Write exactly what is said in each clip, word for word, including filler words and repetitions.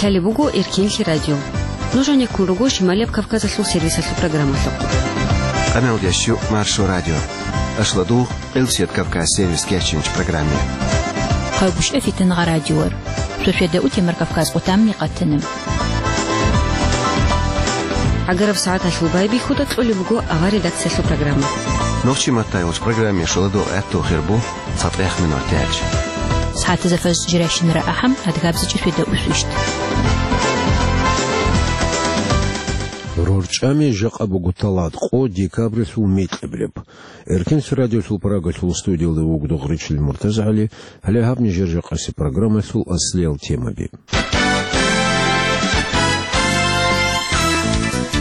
Лъалеб буго Эркенлъи радио. Нуж гьанеккун руго Шималияб Кавказалъул сервисалъул программалъухъ. Къамел ящу Маршо радио. Ашладугъ, Къилсият Кавказ сервис керчинч программе. Хъайгъушъа фитангъа радиор. Шошеда утемар Кавказ къутамни къатана. ГӀагараб сагӀаталъул байбихьуда кьолеб буго авар редакциялъул программа. Нохчи маттайгъуч программе шоладо гӀатту хирбу. ЦатӀех минут тяч. СагӀатазда фаз жирашин рагӀахъан, адгабзичӀи феда усвищт. РорчӀами жакъа буго талат къо декабрилъул микьиблеб. Эркенлъи радиолъул Прагалъул студиялда вуго Дугъричил МуртазагӀали, гьале гьаб нижер жакъаси программалъул аслиял темаби.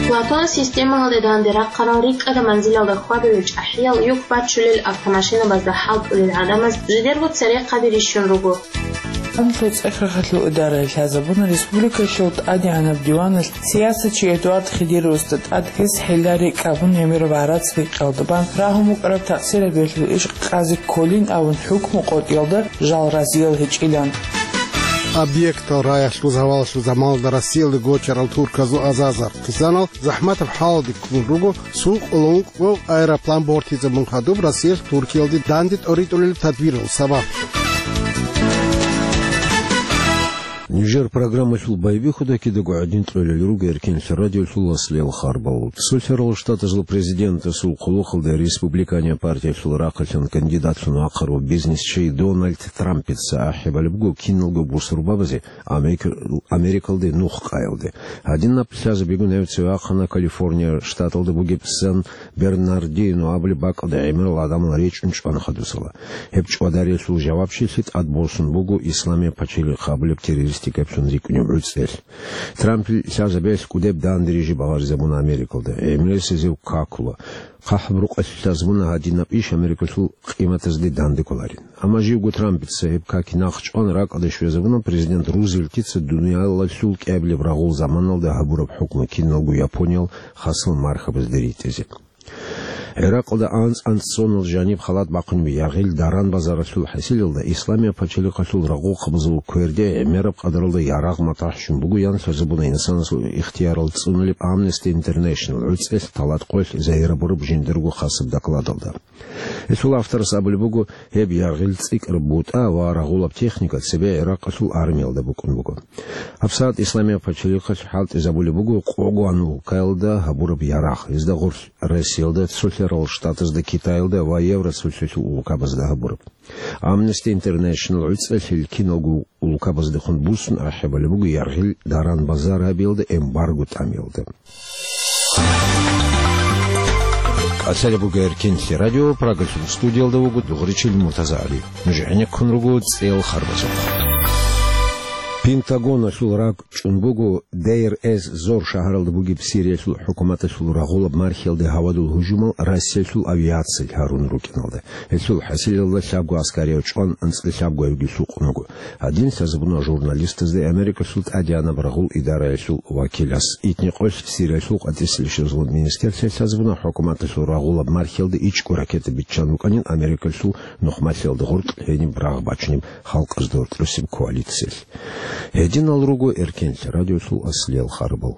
Платон системаялде данде рахъарал рикӀкӀада манзилалда хьвадулел чӀахӀиял, юк бачулел автомашинабазда хӀалтӀулел гӀадамаз жидерго церехъаби рищун руго. АнлъуцӀехъахъалъул идарае лъазабуна республикалъул тӀадегӀанаб диваналъ сиясатчи Эдуард Хидировасда тӀад гьес хӀилла рекӀкӀ абун гӀемераб гӀарац рекъалда бан рагьун букӀараб такъсирабиялъул иш Къази Колин абун хӀукму къотӀиялда жал разиял гьечӀилан. Объектал раялъул завалалъул заманалда Россиялде гочарал турказул азарзахъисанал захӀматаб хӀалалде ккун руго, сукъулун кӀкӀо аэроплан бортизабун хадуб Россиялъ Туркиялде данде тӀоритӀулел тадбирал сабаблъун. Нижер программалъул байбихьуда кидаго гӀадин кьолел руго Эркенлъи радиолъул аслиял харбал. Цолъарал Штатазул президентасул хъулухъалда республиканияб партиялъул рахъалъан кандидатлъун вахъарав бизнесчи Дональд Трампица ахӀи балеб буго киналго бусурбабазе Америка-, Америкалде нух къаялде. Гьадинаб лъазабигун гьев цеве вахъана Калифорния штаталда бугеб Сан-Бернардино абулеб бакӀалда гӀемерал гӀадамал речӀун чӀван хадусала. Гьеб чӀвадариялъул жавабчилъи тӀадбосун буго Исламияб пачалихъ абулеб террористикаблъун рикӀкӀунеб гӀуцӀел. Трампил лъазабиялъ кӀудеб данде рижи багъаризабуна Америкалда. ГӀемерисезев какула. ХъахӀаб рукъалъ лъазабуна гьадинаб иш Америкалъул къиматазде данде кколарин. Амма живго Трампица гьеб каки нахъчӀван ракӀалде щвезабуна президент Рузвельтица дуниялалъул кӀиабилеб рагъул заманалда гьабураб хӀукму киналго Япониял хасал мархабазде ритӀизе. ГӀиракъалда анцӀ-анцӀцӀунал жаниб халат бахъунеб яргъил даран-базаралъул хӀасилалда Исламияб пачалихъалъул рагъухъабазул кверде гӀемераб къадаралда ярагъ матахӀ щун бугоян лъазабуна инсанасул ихтиярал цӀунулеб Amnesty International гӀуцӀелъ талат къоялъ загьир гьабураб жиндирго хасаб докладалда. Гьесул авторас абулеб буго, гьеб яргъил цӀикӀкӀараб бутӀа ва рагъулаб техника цебе ГӀиракъалъул армиялда букӀун буго. ГьабсагӀат Исламияб пачалихъалъ хӀалтӀизабулеб буго Къогуан улкаялда гьабураб ярагъ, гьезда гъорлъ Россиялда, Цолъарал Штатазда, Китаялда ва Евросоюзалъул улкабазда гьабураб. Amnesty International гӀуцӀелъ гьел киналго улкабаздехун буссун ахӀи балеб буго яргъил даран-базар гьабиялда эмбарго тӀамиялда. Лъалеб буго Эркенлъи радио, Прагалъул студиялда вуго Дугъричил МуртазагӀали. Нуж гӀенеккун руго цӀел харбазухъ. Пентагоналъул ракӀ чӀун буго Дейр-эз-Зор шагьаралда бугеб Сириялъул хӀукуматалъул рагъулаб мархиялде гьавадул гьужумал Россиялъул авиациялъ гьарун рукӀиналда. Гьелъул хӀасилалда лъабго аскарияв чӀван, анцӀила лъабгоявги лъукъун вуго. Гьадин лъазабуна журналистазда Америкалъул тӀадегӀанаб рагъул идараялъул вакилас. Итни къоялъ Сириялъул къватӀиса лъазабун министрлъи лъазабуна хӀукуматалъул рагъулаб мархиялда ичӀго ракета биччан букӀанин Америкалъул нухмалъиялда гъоркь гьениб рагъ бачунеб халкъазда гьоркьосеб коалициялъ. Гьединал руго Эркенлъи радиолъул аслиял харбал.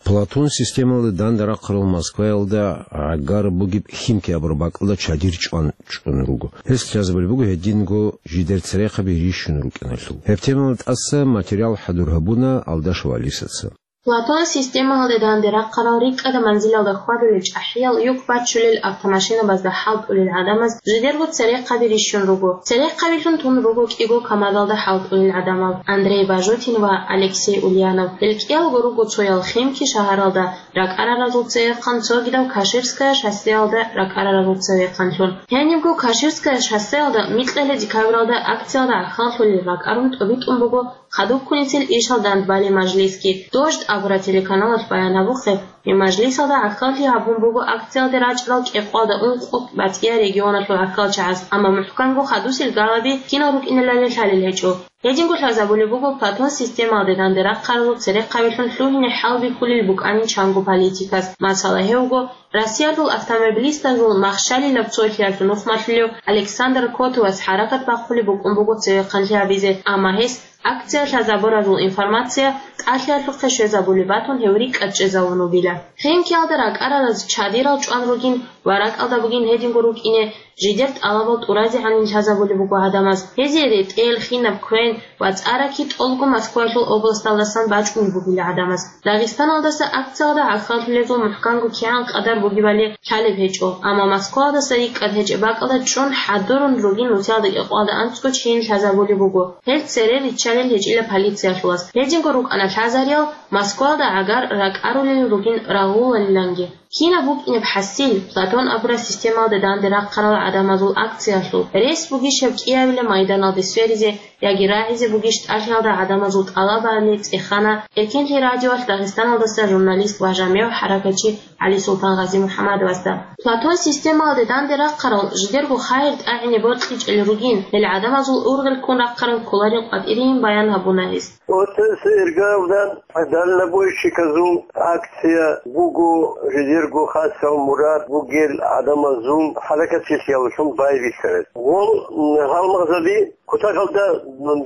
Платон системалда данде рахъарал Москваялда гӀагар бугеб Химки абураб бакӀалда чадир чӀван чӀун руго. Гьес лъазабулеб буго гьединго жидер церехъаби рищун рукӀиналъул. Гьеб темалда тӀаса материал хӀадур гьабуна Алдашев Алисаца. Платон системаялде данде рахъарал рикӀкӀада манзилалда хьвадулел чӀахӀиял, юк бачулел автомашинабазда хӀалтӀулел гӀадамаз жидерго церехъаби рищун руго. Церехъабилъун тун руго кӀиго камазалда хӀалтӀулел гӀадамал: Андрей Бажутин ва Алексей Ульянов. Гьел кӀиялго руго цоял Химки шагьаралда ракӀараразул цевехъан, цогидав Каширская шоссеялда ракӀараразул цевехъанлъун. Гьенибго Каширская шоссеялда микьалъе декабралда акциялда гӀахьаллъулел ракӀарун тӀобитӀун буго хадубккунисел ишал дандбали мажлисги. «Дождь» абураб телеканалалъ баян гьабухъе, гьеб мажлисалда гӀахьаллъи гьабун буго акциялде рачӀарал кӀикъоялда ункъо батӀияб регионалъул гӀахьалчагӀаз, амма мухӀканго хадусел галаби кинал рукӀиналали лъалел гьечӀо. Гьединго лъазабулеб буго Платон системалде данде рахъаразул церехъабилъун лъугьине хӀалбихьулел букӀанин чанго политикас. Масала, гьев вуго Россиялъул автомобилистазул махщалилаб цолъиялъул нухмалъулев Александр Котовас хӀаракат бахъулеб букӀун буго цевехъанлъи гьабизе, амма гьес акция лъазабуразул информация тӀалъиялъухъе щвезабулеб батун, гьев рикӀкӀад чӀезавун вугила. Химкиялда ракӀарараз чадирал чӀван ругин ва ракӀалда бугин гьединго рукӀине, жидер тӀалабал тӀуразегӀанин лъазабулеб буго гӀадамаз. Гьезие ретӀел, хинаб квен ва цӀараки тӀолго Москваялъул областалдасан бачӀунеб бугила гӀадамаз. Дагъистаналдаса акциялда гӀахьаллъулезул мухӀканго кигӀан къадар бугебали лъалеб гьечӀо, амма Москваялдаса рикӀкӀад гьечӀеб бакӀалда чӀун хӀадурун ругин нусиялда кӀикъоялда анцӀго чейин лъазабулеб буго. Гьел цере риччалел гьечӀила полициялъулас. Гьединго рукӀана лъазариял Москваялда гӀагар ракӀарулел ругин рагъулалиланги. Кинаб букӀинеб хӀасил, Платон абураб системалде данде рахъарал гӀадамазул акциялъул рес бугищ гьеб кӀиабилеб майданалде сверизе яги рагӀизе бугищ тӀалъиялда гӀадамазул тӀалабали цӀехана Эркенлъи радиоялъ Дагъистаналдаса журналист ва жамигӀ хӀаракатчи ГӀалисултан Гъазимухьамадовасда. Платон системалде данде рахъарал жидерго хайир тӀагӀине бокьичӀел ругин, гьел гӀадамазул ургъел ккун рахъарал кколарин къватӀирин баян гьабуна гьес. Оцес иргаялда дальнобойщиказул акция буго, жидерго хасал мурад бугел гӀадамазул хӀаракатчилъияллъун байбихьарас. Гъол, м, гьалмагъзаби кутакалда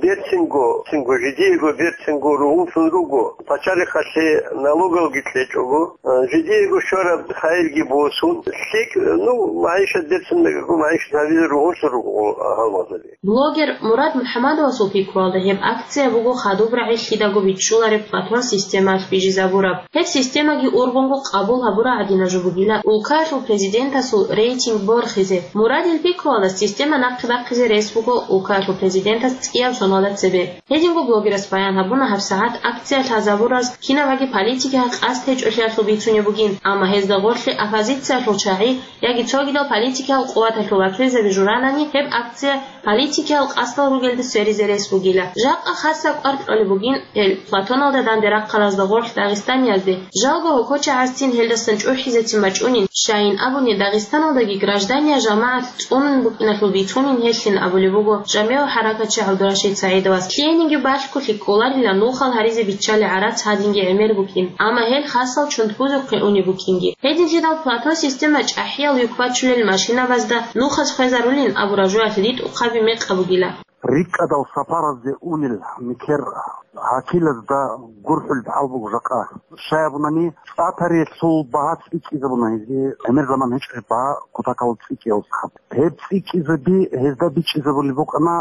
берцинго, цинго, жидиего берцинго ругьунлъун руго, пачалихъалъе налогалги кьечӀого, а, жидиего щвараб хайирги босун, лъикӀ, ну, магӀишат берцин, магӀишат гьабизе ругьунлъун руго гьалмагъзаби. Блогер Мурад МухӀамадовасул пикруялда, гьеб акция буго хадуб рагӀи лъидаго бичӀчӀулареб Платон системаялъ бижизабураб. Гьеб системаги ургъунго къабул гьабураб гӀадинаб жо бугила улкаялъул президентасул рейтинг борхизе. Мурадил пикруялда, система нахъе бахъизе рес буго улкаялъул президентас цӀияб соналда цебе. Гьединго блогерас баян гьабуна гьабсагӀат акция лъазабураз кинабаги политикиялъе къасд гьечӀолъиялъул бицунеб бугин, амма гьезда гъорлъе оппозициялъул чагӀи яги цогидал политикиял къуваталъул вакилзаби журанани, гьеб акция политикиял къасдал ругелде сверизе рес бугила. Жакъа хасаб кӀвар кьолеб бугин гьел Платоналда данде рахъаразда гъорлъ дагъистаниязде, жалго гьокочагӀазцин гьелдасан чӀухӀизецин бачӀунин, щайин абуни Дагъистаналдаги граждания жамагӀат цӀунун букӀиналъул бицунин гьелъин абулеб буго жамигӀ хӀаракатчи ГӀабдурашид СагӀидовас. Лъиениги балъголъи кколарила нухал гьаризе биччалел гӀарац гьадинги гӀемер букӀин, амма гьел хасал чунтбузухъе унеб букӀинги. Гьединлъидал Платон система чӀахӀиял юк бачулел машинабазда нухаз хвезарулин абураб жоялъ ритӀухъаби мекъаб бугила. РикӀкӀадал сапаразде унел нилъер гьакилазда гурхӀулеб хӀал буго жакъа. Щай абунани, цӀа тариялъул багьа цӀикӀкӀизабуна гьезие, гӀемер заман гьечӀеб багьа кутакалда цӀикӀкӀиялдаса. Гьеб цӀикӀкӀизаби гьезда бичӀчӀизабулеб букӀана,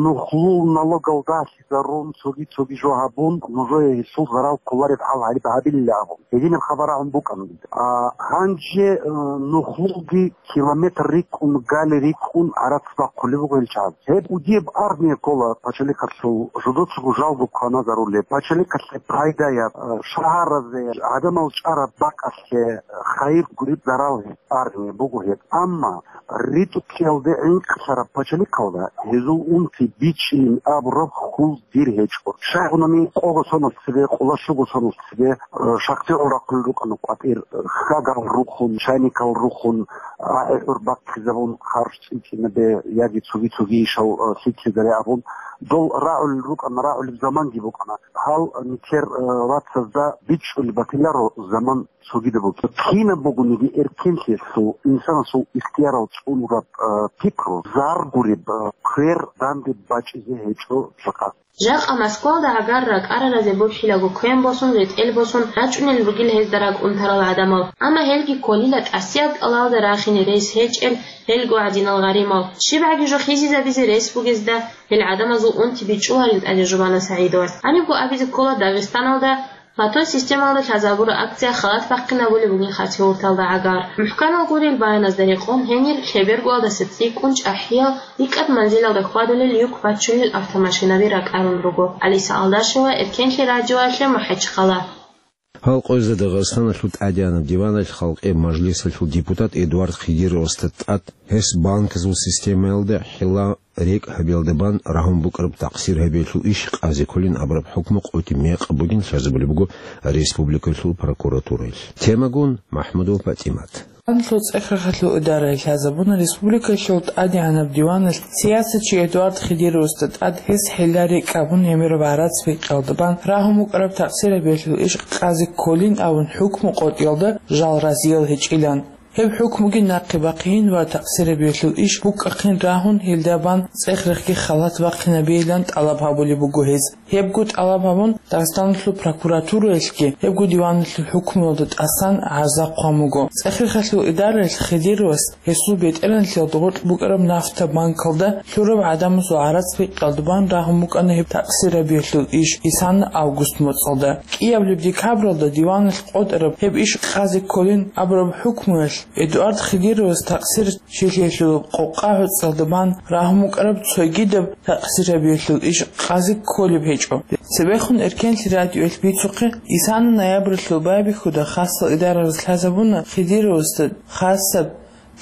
нухлул налогалда лъазарун, цоги-цоги жо гьабун, нужее гьелъул зарал кколареб хӀал гьариб гьабилила абун. Гьединаб хабар рагӀун букӀана. А, гьанже, э, нухлулги километр рикӀкӀун, гали рикӀкӀун гӀарац бахъулеб буго гьел чагӀаз. Гьеб кӀудияб армия ккола пачалихъалъул, жидецаго жалго кваназарулеб, пачалихъалъе пайдаяб, э, шагьаразе, гӀадамал чӀараб бакӀалъе хайир гуреб зарал гьеб армия буго гьеб. Амма ритӀухълъиялде гӀинкълъараб пачалихъалда гьезул унти бичӀчӀилин абураб хьул дир гьечӀо. Щай абунани, къого сонал цебе, къоло щуго сонал цебе, э, шахтёрал рахъулел рукӀана къватӀир, э, хьагал рухун, чайникал рухун, рагӀи-гӀур бахъизабун, харж цӀикӀкӀинабе яги цоги-цоги ишал, э, лъикӀлъизаре абун, дол рагӀулел рукӀана, рагӀулеб заманги букӀана. Гьал нилъер, э, вацазда бичӀчӀулеб батиларо заман цогидаб буго. Кинаб бугониги эркенлъиялъул, инсанасул ихтиярал цӀунураб, э, пикру, зар гуреб, э, квер данде бачӀизе гьечӀо жакъа. Жакъа Москвалда гӀагар ракӀараразе бухӀилаго квен босун, ретӀел босун рачӀунел ругел гьезда ракӀунтарал гӀадамал. Амма гьелги кколила тӀасияб кӀалалда рахине рес гьечӀел гьелго гӀадинал гъаримал. ЩибгӀаги жо хизизабизе рес бугезда гьел гӀадамазул унти бичӀчӀуларин тӀаде жубана СагӀидовас. Гьанибго абизе ккола Дагъистаналда Платон системалда лъазабураб акция халат бахъинабулеб бугин хасияталда гӀагар. МухӀканал гурел баяназда рекъон гьенир лъебергоялдаса цӀикӀкӀун чӀахӀиял рикӀкӀад манзилалда хьвадулел юк бачулел автомашинаби ракӀарун руго. Алиса Алдашева, Эркенлъи радиоялъе, МахӀачхъала. Гьал къоязда Дагъистаналъул тӀадегӀанаб диваналъ халкъиял мажлисалъул депутат Эдуард Хидировасда тӀад гьес банкзул системаялда хӀила-рекӀкӀ гьабиялда бан рагьун букӀараб такъсир гьабиялъул иш къази кколин абураб хӀукму къотӀи мекъаб бугин лъазабулеб буго республикалъул прокуратураялъ. Темагун Махмудова ПатӀимат. Анлъул цӀехрахъалъул идаралъ лъазабуна республикалъул тӀадегӀанаб диваналъ сиясатчи Эдуард Хидировасда тӀад гьес хӀила-рекӀкӀ гьабун гӀемераб гӀарац бикъиялда бан рагьун букӀараб такъсир гьабиялъул иш къази кколин абун хӀукму къотӀиялда жал разиял гьечӀилан. Гьеб хӀукмуги нахъе бахъейин ва такъсир гьабиялъул иш букӀахъин рагьун, гьелда бан цӀехрахъги халат бахъинабейилан тӀалаб гьабулеб буго гьез. Гьебго тӀалаб гьабун, Дагъистаналъул прокуратураялъги гьебго диваналъул хӀукмуялда тӀасан гӀарза хъван буго. ЦӀехрахъалъул идараялъ Хидировас гьесул бетӀергьанлъиялда гъоркь букӀараб Нафта банкалда лъураб гӀадамазул гӀарац бикъиялда бан рагьун букӀана гьеб такъсир гьабиялъул иш исана август моцӀалда. КӀиабилеб декабралда диваналъ къотӀараб гьеб иш къази кколин абураб хӀукмуялъ Эдуард Хидировас такъсир чилъиялъул къокъа гӀуцӀиялда бан рагьун букӀараб цогидаб такъсир гьабиялъул иш къази кколеб гьечӀо. Цебехун Эркенлъи радиоялъ бицухъе, исана ноябралъул байбихьуда хасал идарабаз лъазабуна Хидировасда хасаб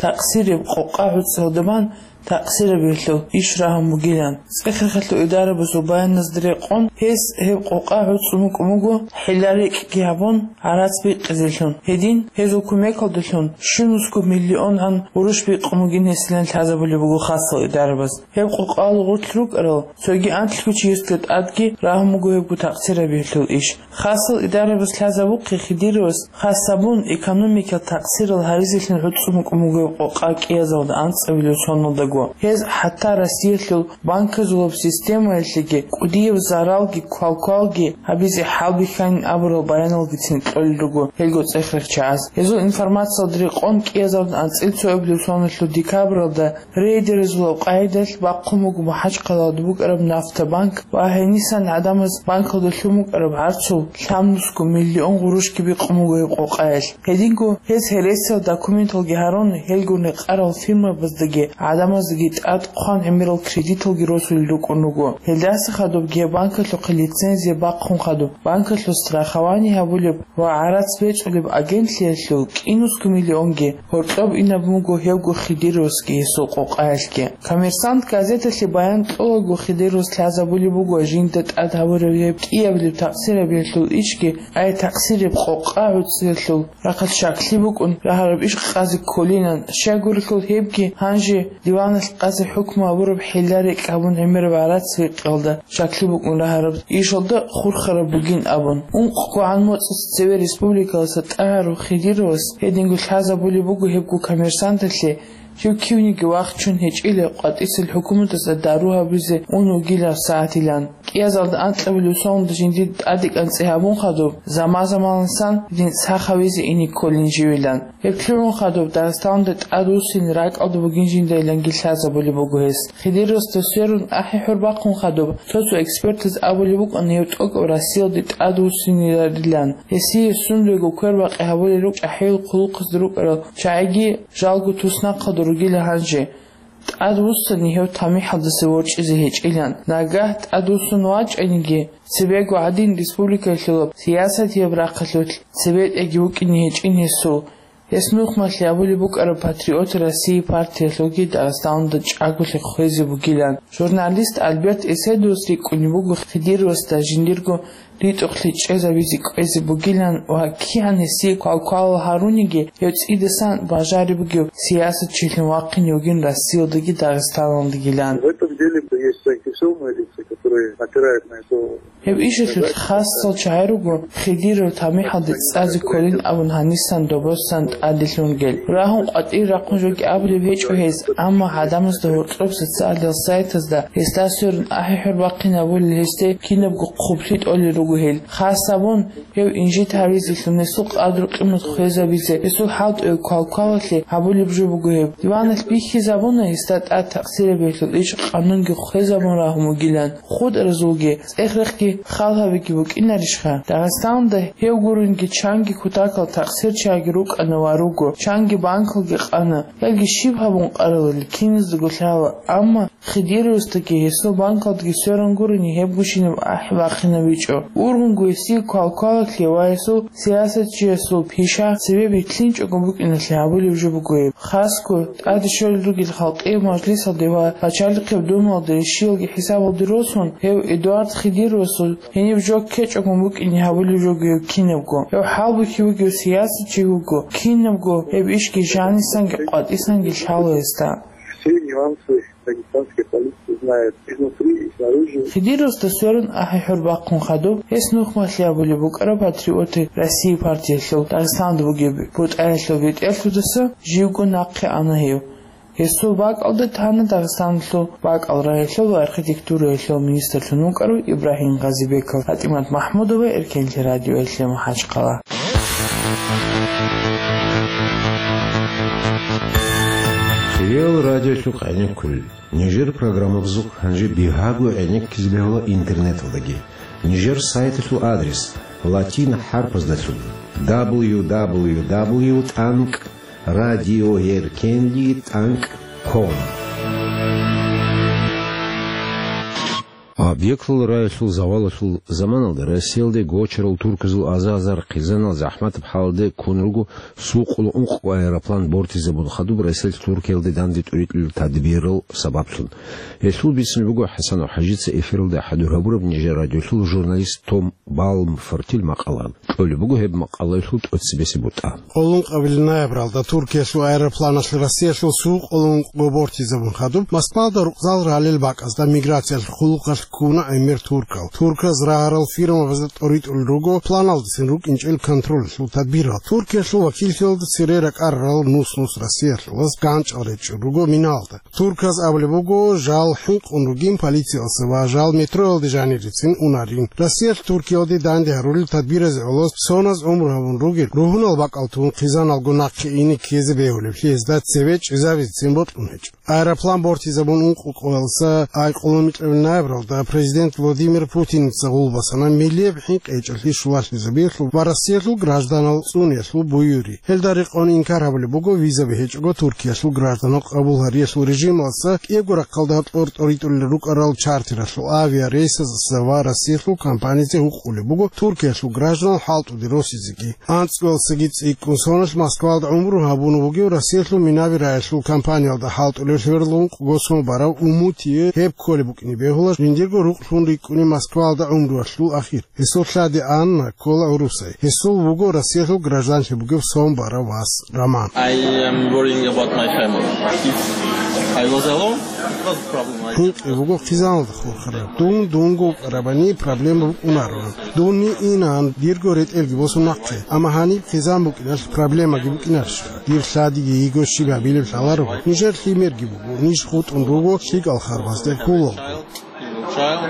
такъсираб къокъа гӀуцӀиялда бан такъсир гьабиялъул иш рагьун бугилан. ЦӀехрахъалъул идарабазул баяназда рекъон, гьес гьеб къокъа гӀуцӀун букӀун буго, хӀила-рекӀкӀги гьабун, гӀарац бикъизелъун. Гьедин, гьезул кумекалдалъун щунусго миллионгӀан гъурущ бикъун бугин гьесилан лъазабулеб буго хасал идарабаз. Гьеб къокъаялда гъорлъ рукӀарал цоги анлъго чиясда тӀадги рагьун буго гьебго такъсир гьабиялъул иш. Хасал идарабаз лъазабухъе Хидировас хасабун экономикал такъсирал гьаризелъун гӀуцӀун букӀун буго гьеб къокъа кӀиязалда анцӀабилеб соналдаго. Гьез хӀатта Россиялъул банказулаб системаялъеги кӀудияб заралги квалквалги гьабизе хӀалбихьанин абурал баяналгицин кьолел руго гьелго цӀехрахъ чагӀаз. Гьезул информациялда рекъон, кӀиязалда анцӀила цоабилеб соналъул декабралда рейдерзулаб къагӀидалъ бахъун буго МахӀачхъалаялда букӀараб Нафта банк ва гьенисан гӀадамаз банкалда лъун букӀараб гӀарцул лъабнусго миллион гъурущги бикъун буго гьеб къокъаялъ. Гьединго гьез гьересиял документалги гьарун, гьелгун рекъарал фирмабаздаги гӀадамаздаги тӀад хъван гӀемерал кредиталги росулел рукӀун руго. Гьелдаса хадубги гьеб банкалъухъе лицензия бахъун хадуб, банкалъул страхование гьабулеб ва гӀарац бецӀулеб агентлъиялъул кӀинусго миллионги гьоркьоб инаб буго гьевго Хидировасги гьесул къокъаялъги. «Коммерсант» газеталъе баян кьолаго Хидировас лъазабулеб буго жинда тӀад гьабураб гьеб кӀиабилеб такъсир гьабиялъул ишги, ай такъсираб къокъа гӀуцӀиялъул рахъалъ щаклъи букӀун рагьараб иш къази кколинан, щайгурелъул гьебги гьанже диваналъ къази хӀукму гьабураб хӀила-рекӀкӀ гьабун гӀемераб гӀарац бикъиялда щаклъи букӀун рагьараб ишалда хурхараб бугин абун. УнкъгогӀан моцӀалъ цеве республикалдаса тӀагӀарав Хидировас гьединго лъазабулеб буго гьебго «Коммерсанталъе», жив кивниги вахчун гьечӀила къватӀисел хӀукуматалда дару гьабизе ун вугилан сагӀатилан. КӀиязалда анкьабилеб соналда жиндир тӀаде кӀанцӀи гьабун хадуб, заман-заманалдасан гьедин сах гьавизе ине кколин живилан. Гьеб лъугӀун хадуб Дагъистаналда тӀад вуссине ракӀалда бугин жиндайиланги лъазабулеб буго гьес. Хидировасда сверун ахӀи-хӀур бахъун хадуб, цо-цо экспертаз абулеб букӀана гьев тӀокӀаб Россиялде тӀад вуссиниларилан. Гьесие сундего квербакъи гьабулел рукӀ чӀахӀиял хъулухъазда рукӀарал чагӀиги жалго туснахъалда ругила гьанже. ТӀад вуссани гьев тамихӀалдаса ворчӀизе гьечӀилан. Нагагь тӀад вуссун вачӀаниги, цебего гӀадин республикалъулаб сиясатияб рахъалъулъ цебетӀеги вукӀине гьечӀин гьесул. Гьес нухмалъи абулеб букӀараб «Патриоты России» партиялъулги Дагъистаналда чӀаголъи хвезе бугилан. Журналист Альберт Эседовас рикӀкӀунеб буго Хидировасда жиндирго ритӀухълъи чӀезабизе кӀвезе бугилан ва кигӀан гьесие квалквалал гьаруниги, гьев цӀидасан бажариб бугев сиясатчилъун вахъине вугин Россиялдаги Дагъистаналдагилан. В этом деле есть заинтересованные лица, которые опирают на это. Гьеб ишалъулъ хасал чагӀи руго Хидиров тамихӀалде цӀазе кколин абун гьанисан добосан тӀаде лъунгел. Рагьун къватӀир рахъун жоги абулеб гьечӀо гьез, амма гӀадамазда гьоркьоб социалдал сайтазда гьесда сверун ахӀи-хӀур бахъинабулел гьесде кинабго хъублъи тӀолел руго гьел. Хасабун, гьев инжит гьавизелъун, гьесул къадру-къимат хвезабизе, гьесул хӀалтӀуе квалквалалъе гьабулеб жо буго гьеб. Диваналъ бихьизабуна гьесда тӀад такъсирабиялъул иш къанунги хвезабун рагьун вугилан. ХутӀразулги, цӀехрехги Хал гьабиги букӀинарищха? Дагъистанда гьев гурунги чанги кутакал такъсирчияги рукӀана ва руго, чанги банкалги къана. Ялги щиб гьабун къаралел, киназдаго лъала, амма Хидировасдаги гьесул банкалдаги сверун гурони гьеб гущинаб ахӀи бахъинабичӀо. Ургъунго гьесие квалквалалъе ва гьесул сиясатчиясул пиша цебе бихьинчӀого букӀиналъе гьабулеб жо буго гьеб. Хасго, тӀаде щолел ругел халкъияв мажлисалде ва пачалихъеб думалде щиялги хӀисабалде росун, гьев Эдуард Хидировасул гьениб жо ккечӀого букӀине гьабулеб жо буго гьеб кинабго. Гьев хӀалбихьи вугев сиясатчи вуго, кинабго гьеб ишги жанисанги къватӀисанги лъала гьесда. Все нюансы дагестанской политики знает изнутри и снаружи. Хидировасда сверун ахӀи-хӀур бахъун хадуб, гьес нухмалъи абулеб букӀараб Патриоты России партиялъул Дагъистанда бугеб бутӀаялъул бетӀерлъудаса живго нахъе ана гьев. Гьесул бакӀалда тана Дагъистаналъул бакӀал рагьилъул ва архитектураялъул министрлъун вукӀарав Ибрагьим Гъазибеков. ПатӀимат МахӀмудова, Эркенлъи радиоялъе, МахӀачхъала. Реал радиолъухъ гӀенеккулел. Нижер программабазухъ гьанже бигьаго гӀенеккизе бегьула интернеталдаги. Нижер сайталъул адрес латин хӀарпаздалъун: дабл ю дабл ю дабл ю тӀанкӀ радиоэркенли тӀанкӀ ком. Объектлъул рагӀилъул завалалъул заманалда Россиялде гочарал турказул азар-азар хъизанал захӀматаб хӀалалде ккун руго сукъул ункъго аэроплан бортизабун хадуб Россиялъ Туркиялде данде тӀуритӀулел тадбирал сабаблъун. Гьелъул бицине буго ХӀасанов ХӀажица эфиралда хӀадур гьабураб нижер радиолъул журналист Том Балмфортил макъала. Кьолеб буго гьеб макъалаялъул тӀоцебесеб бутӀа. Къоло ункъабилеб ноябралда Туркиялъул аэропланалъ Россиялъул сукъул ункъго бортизабун хадуб, Москвалда рукъзал ралел бакӀазда миграциялъул хъулухъалъ ккуна гӀемер туркал. Турказ рагьарал фирмабазда тӀоритӀулел руго планалдасан рукӀинчӀел контролалъул тадбирал. Туркиялъул вакиллъиялда цере ракӀарарал нус-нус Россиялъулаз ганчӀал речӀчӀун руго миналда. Турказ абулеб буго, жал хӀинкъун ругин полициялъа ва жал метроялде жанирицин унарин. Россиялъ Туркиялде данде гьарулел тадбиразе гӀоло соназ гӀумру гьабун ругел, ругьунал бакӀал тун хъизаналго нахъе ине ккезе бегьулеблъи гьезда цеве чӀезабицин бокьун гьечӀо. Аэроплан бортизабун ункъго кӀолалъа айкъулумикьабил ноябралда президент Владимир Путиница гъулбасана миллияб хӀинкъи гьечӀолъи щулалъизабиялъул ва Россиялъул гражданал цӀуниялъул буюри. Гьелда рекъон инкар гьабулеб буго визаби гьечӀого Туркиялъул гражданал къабул гьариялъул режималъа кӀиябго рахъалда кьор тӀоритӀулел рукӀарал чартералъул авиарейсазда ва Россиялъул компанизе гьукъулеб буго Туркиялъул гражданал хӀалтӀуде росизеги. АнцӀкӀоялдасаги цӀикӀкӀун соналъ Москвалда гӀумру гьабун вугев Россиялъул минави рагӀилъул компаниялда хӀалтӀулев лъугьарал ункъго сон барав Умутие гьеб кколеб букӀине бегьула жиндирго рукълъун рикӀкӀунеб Москвалда гӀумруялъул ахир. Гьесул лъади Анна ккола гӀурусай. Гьесул вуго Россиялъул гражданлъи бугев сон барав вас Роман. I am worrying about my family. If I was alone, it was a problem. I ХӀинкъи буго хъизаналда хурхараб. Дун дунго вукӀарабани проблема букӀунаро. Дун инан, дирго ретӀелги босун нахъе. Амма гьаниб хъизан букӀиналъ проблемаги букӀинарищха? Дир лъадиги йиго щиб гьабилеб лъаларо. Нижер лъимерги буго, ниж хутӀун руго лъикӀал харбазде хьулалго. Child,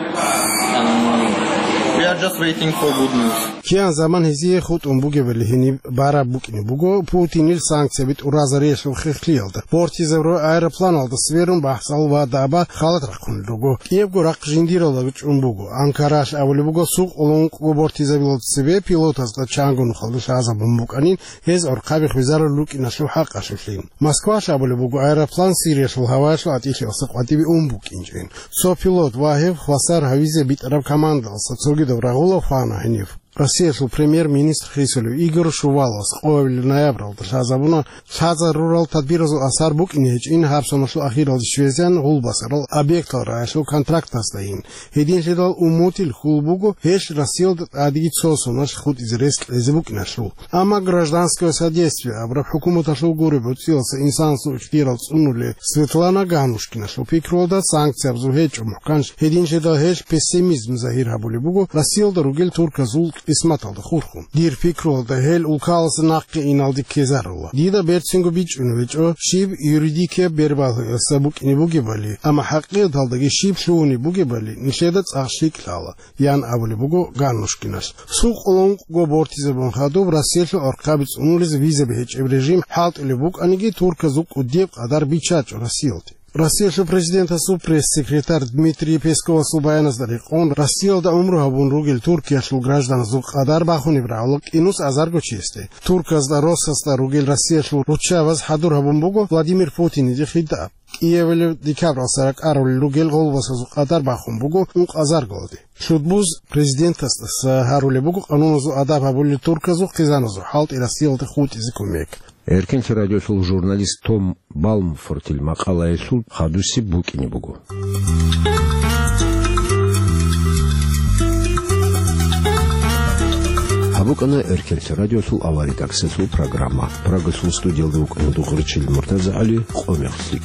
and we are just waiting for good news. Киян заман гьезие хутӀун бугебали гьениб бараб букӀине буго Путинил санкцияби тӀуразариялъул хехлъиялда. Бортизабураб аэропланалда сверун бахӀсал ва даба халат рахъун руго. КӀиябго рахъ жиндиралда чӀун буго. Анкаралъ абулеб буго, сукъулун ункъго бортизабилалда цебе пилотазда чанго нухалда лъазабун букӀанин, гьез гӀорхъаби хвезарулел рукӀиналъул хӀакъалъулъин. Москвалъ абулеб буго, аэроплан Сириялъул гьаваялъул гӀатӀилъиялдаса къватӀибе ун букӀинчӀин. Цо пилот ва гьев хвасар гьавизе битӀараб командалъа цогидаб рагъула хвана гьенив. Россиялъул премьер-министр хисулев Игорь Шуваловас къоабилеб ноябралда лъазабуна лъазарурал тадбиразул асар букӀине гьечӀин гьаб соналъул ахиралде щвезегӀан гъулбасарал объектал рагӀалъул контрактаздайин. Гьединлъидал Умутил хьул буго гьелъ Россиялда тӀадеги цо соналъ хутӀизе рес кьезе букӀиналъул. Амма «Гражданское содействие» абураб хӀукуматалъул гуреб гӀуцӀиялдаса инсанасул ихтиярал цӀунулев Светлана Ганнушкиналъул пикруялда, санкциябазул гьечӀо мухӀканлъи. Гьединлъидал гьелъ пессимизм загьир гьабулеб буго Россиялда ругел турказул къисматалда хурхун. Дир пикруялда, гьел улкаласа нахъе иналде ккезарула. Дида берцинго бичӀчӀунеб гьечӀо, щиб юридикияб бербалъуялдаса букӀине бугебали, амма хӀакъикъаталдаги щиб лъугьунеб бугебали нилъеда цӀакъ лъикӀ лъала, ян абулеб буго Ганнушкиналъ. Сукъулун ункъго бортизабун хадуб Россиялъул гӀорхъаби цӀунулез визаби гьечӀеб режим хӀалтӀулеб букӀаниги, турказул кӀудияб къадар биччачӀо Россиялде. Россиялъул президентасул пресс-секретарь Дмитрий Песковасул баяназда рекъон, Россиялда гӀумру гьабун ругел Туркиялъул гражданазул къадар бахунеб рагӀула кӀинус азарго чиясде. Турказда, Россосда ругел Россиялъул руччабаз хӀадур гьабун буго Владимир Путиниде хитӀаб. Киевалъ декабралъа ракӀарулел ругел гъолбасазул къадар бахун буго ункъазарголде. Лъудбуз президентасдаса гьарулеб буго къануназул адаб гьабулел турказул хъизаназул хӀалтӀи Россиялде хутӀизе кумек. Эркенлъи радиолъул журналист Том Балмфортил макъалаялъул хадусеб букӀине буго. Гьаб букӀана Эркенлъи радиолъул авария тӀакӀсалъул программа. Прагалъул студиялда вукӀана Дугъричил МуртазагӀали, къо мехлъи.